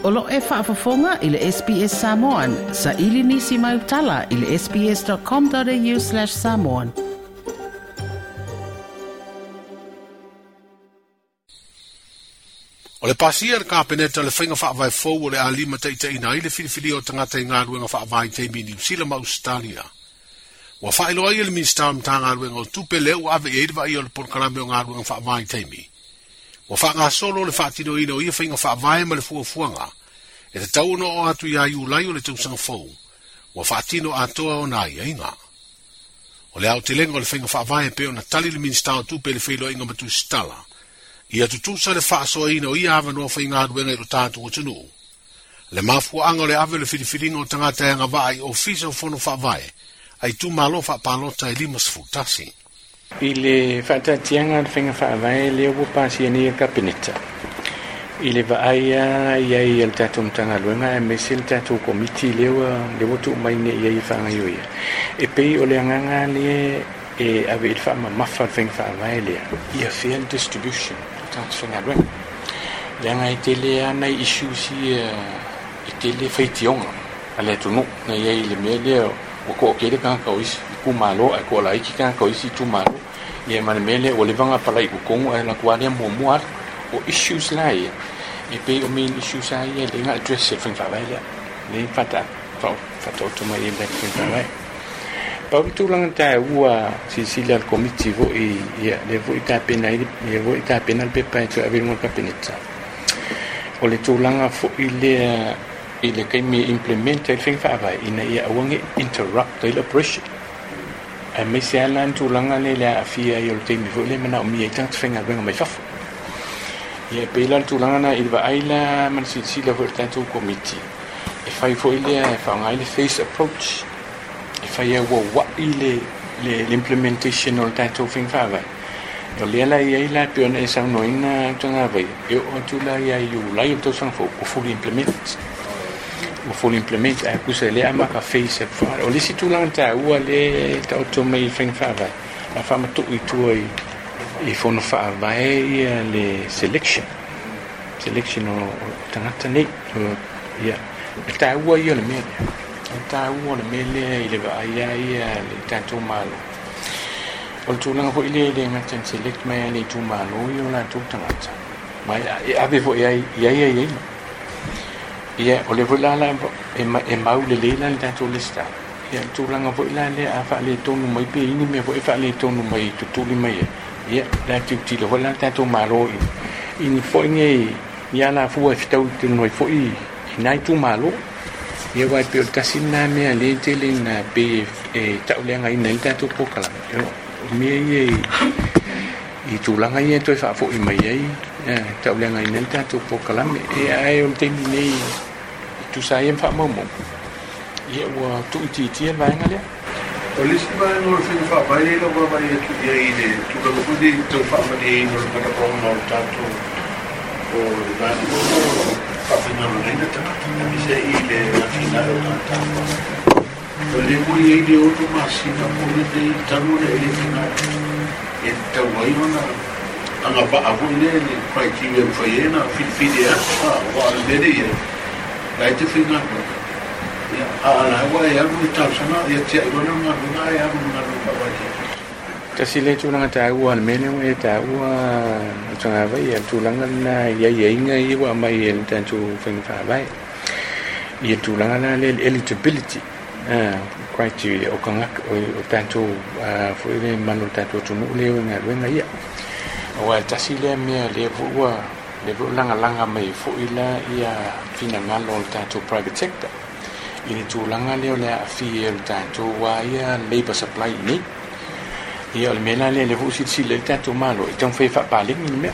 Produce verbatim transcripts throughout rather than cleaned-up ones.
O lo e faafofoga i le S B S Samoan, sa ili nisi mai utala i le sbs.com.au slash samoan. O le pasia le kapeneta le whainga whaavae fou o le alima taitaina i le filifili o tangata i ngā ruenga whaavae teimi New Zealand ma Australia. Ua whaeloa i le Minista o Mtanga ruenga o tupe leo ave i eidwa i o le polokalame o ngā ruenga whaavae teimi. Ua whaangasolo le whaatino ina o ia whainga whaavae ma le fuafuanga. E te tau ono o atu ia iulai o le tausaga fou. Ua whaatino atoa o nā ia inga. O le aotelenga o le whainga whaavae pe o na tali le Minista o tupe le whailoa inga matusitala. Ia tutusa le whaasoa ina o ia awanoa whainga ruenga i lo tātou o tunu. Le mafuaanga o le ave le filifilinga o tangata e anga i ofisa o fono whaavae. Ai tu malo whaapalota e lima sefutasi. I le whaatatianga le whainga whaavae lea ua pasia nei e kapeneta. I le vaaia ia i le tātou mtanga luenga e mese le tātou komiti lea ua lea ua tuu mai nei ia i whaangaio ia. E pei o le anganga le e ave i le whaamamafa le whainga whaavae lea. Ia fair distribution tātou whainga luenga. Leanga e tele ana issues ia e tele whaitionga a le atunu na ia i le mea lea o ko kele ka ka isi ku malo a ko la iki ka ka isi tu malo ye man mele o levanga pala i kongo e la kwa le mo mo o issues la ye e pe o main issues ai le nga address e fa va le le fata fa fa to to mai le fa va pa tu lang ta ua si si la committee vo e ye le vo ita pena le vo ita pena le pa to ave mo kapeneta o le tu langa fo ile i le kaimi implement e fing fa va ina ia awangi interrupt the operation e me se ala tulaga le le afia i o le taimi foi le mana o mia i tagata faigaluega mai fafo. Ia e pei la le tulaga na i le vaai la ma le silasila foi le tatou komiti e fai foi lea e faaaoga ai le face approach e fai ai uaua'i le le l'implementation o le tatou faiga faavae. O lea la i ai la e pei ona e saunoaina tagavai e oo atu la ia i Iulai o le tausaga fou ua fully implement. Ua fully implement ae kusa lea amaka face e o le isi tulaga taua le taoto mai i faiga faavae a faamatu'u i tua i i fono faavae ia le selection selection o, o tagata nei ia e taua ia o le mea lea e taua o le mea lea i le vaai ai ia le tatou malo. O le tulaga foi lea e le gata na select mai ai le itumalo ia o latou tagata ma e ave foi ai i ai ai ai ia o le foi la la e e mau le le la tatou lista ia le tulaga foi la lea a faaletonu mai pe ini mea foi e faaletonu mai tutuli mai ia la tilotilo foi la tatou malo i ini foi nei ia la fua e fetau tonu ai foi i nai itumalo ia uae pei o le tasi lena mea lea tele ina pei e tauleagaina ai le tatou polokalame o mea ia i tulaga ia e toe faafo'i mai ai tauleagaina ai le tatou polokalame e ae o le taimi nei tusa ai ma faamaumau ia ua tuuitiitia le vaega lea. O le isi vaega o le faiga faavae e lau vaavaai atu i ai i le tulaga foi lea i tau faamalieina o le manaoga o le tatou o le vaega o faafaigaluegaina tagata aemaise ai i le atinae o tagata. O le ua i ai le ono masina po o lenei talu ona e le faigaluega e tatau ai ona agavaa foi lea le criteria e mafai ai ona filifili e atu aua o le mea lea i ai la e te faigaluega. Ia a la ua e alu le talosaga ia tiai loa lea o galuega ae alu ma galuega faavaitaimi. Tasi le tulaga taua le mea lea ua e taua o tagavai ia le tulaga lena i aiaiga ia ua aumai e le tatou faiga faavae. Ia le tulaga la lea le eligibility criteria o tagata o tatou foi le mamalu o le tatou atunuu lea e galuega ia. Aua e tasi lea mea lea foi ua lea foi ua lagalaga mai foi la ia finagalo o le tatou private sector i le tulaga lea o le aafia o le tatou a ia labour supply i nei. Ia o le mea la lea lea foi ua silasila ai le tatou malo e taumafai e faapalegi le mea.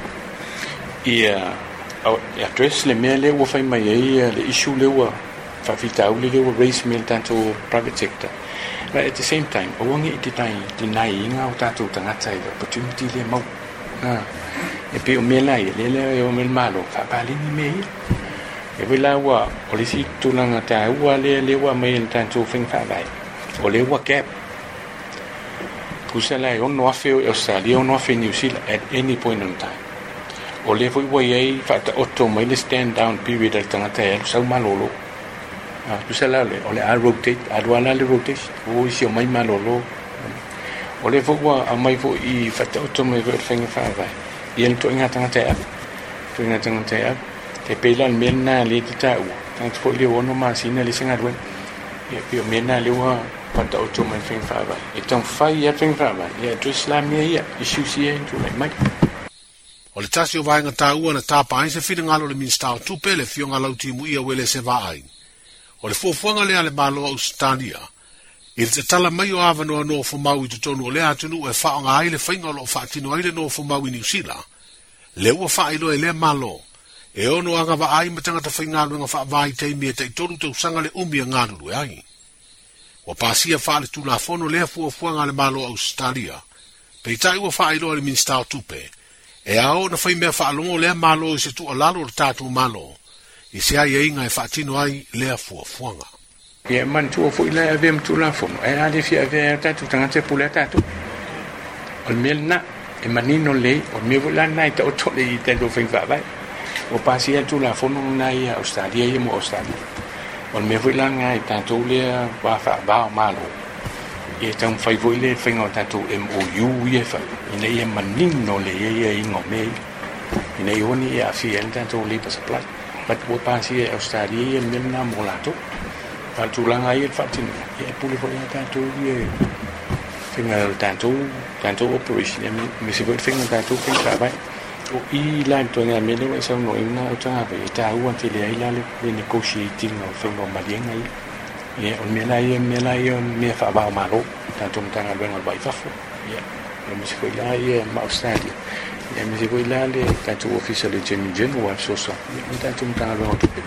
Ia address le mea lea ua fai mai ai le issue lea ua faafitauli lea ua raise mai e le tatou private sector. But at the same time, aua ne i deny iga o tatou tagata i le opportunity lea maua. E pei o mea la ia lea lea e o mai le malo faapalegi mea ia. E foi la ua o le isi tulaga taua lea lea ua aumai e le tatou faiga faavae o lea ua gap. Tusa la e ono afe o Australia, ono afe New Zealand at any point in time. O lea foi ua iai faataoto mai le stand down period a le tagata e alu sau malōlō. A tusa la o le o le a rotate, alu a la le rotation, ua isi omai malōlō. O lea foi ua aumai foʻi faataoto mai foi o le faiga faavae ia le toʻaiga tagata e ave, toʻaiga tagata e ave. E pei la o le mea lenā lea e tataua tagata foʻi lea ua ono masina le se galuega. Ia pei o mea lenā lea ua faataoto mai le faiga faavae e taumafai ia le faiga faavae ia address la mea ia issues ia e tulai mai. O le tasi o vaega taua na tapa ai se finagalo o le Minisita o Tupe le Afioga Lautimuia Uelese Vaai. O le fuafuaga lea a le Malo o Ausetalia i le tatala mai o avanoa nofomau i totonu o lea atunuu e faaaoga ai le faiga o loo faatino ai le nofomau i Niusila. Lea ua faailoa e lea Malo e ono agavaa ai ma tagata faigaluega faavaitaimi e taitolu tausaga le umi e galulue ai. Ua pasia faaletulafono lea fuafuaga a le Malo o Ausetalia. Peitai ua faailoa e le Minisita o Tupe e ao ona faimea faalogo lea Malo i se tuualalo o le tatou Malo i se aiaiga e faatino ai lea fuafuaga. Ia manatua foʻi la e avea ma tulafono ae a le fia avea ai o tatou tagata e pule a tatou. O le mea lenā e manino lelei, o le mea foʻi la lenā e taoto lelei i tatou faiga faavae. Ua pasia le tulafono lenā ia Australia ia mo Australia. O le mea foʻi la lenā i tatou lea va faavā o Malo ia taumafai foʻi le faiga o tatou M O U ia e fai ina ia manino lelei ai aiaiga o mea ia ina ia aua ne i aafia ai le tatou labour supply. But ua pasia e Australia ia le mea lenā mo latou. A o le tulaga ia le faatinoga ia e pule foʻi a tatou ia faiga o le tatou tatou operation ia aemaise foi le faiga o tatou faiga faavae. O i la le toaiga mea lea ua e saunoaina o tagata e taua tele ai la le negotiating o le faiga o maliega ia. Ia o le mea la ia mea la ia mea faavā o Malo tatou Matagaluega o le Vai i Fafo. Ia aemaise foi la ia ma Australia. Ia aemaise foi la le tatou Ofisa o le Attorney General ua fesoasoani ia ma le tatou Matagaluega o Tupe.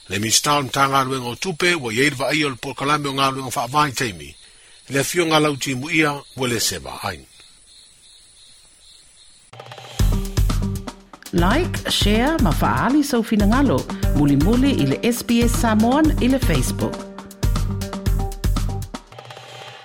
Le Minisita o le Matagaluega o Tupe ua iai le vaaia o le polokalame o galuega faavaitaimi le Afioga Lautimuia Uelese Vaai. Like, share ma faali sau finagalo mulimuli i le S B S Samoan i le Facebook.